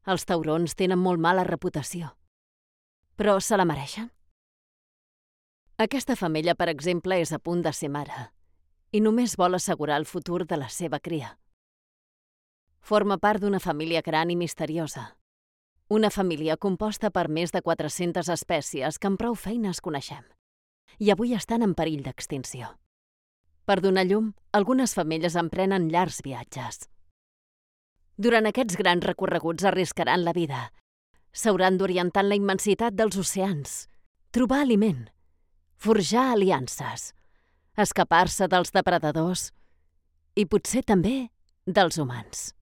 Els taurons tenen molt mala reputació. Però se la mereixen? Aquesta femella, per exemple, és a punt de ser mare i només vol assegurar el futur de la seva cria. Forma part d'una família gran i misteriosa. Una família composta per més de 400 espècies que amb prou feines coneixem. I avui estan en perill d'extinció. Per donar llum, algunes femelles emprenen llargs viatges. Durant aquests grans recorreguts arriscaran la vida. S'hauran d'orientar en la immensitat dels oceans, trobar aliment, forjar aliances, escapar-se dels depredadors i potser també dels humans.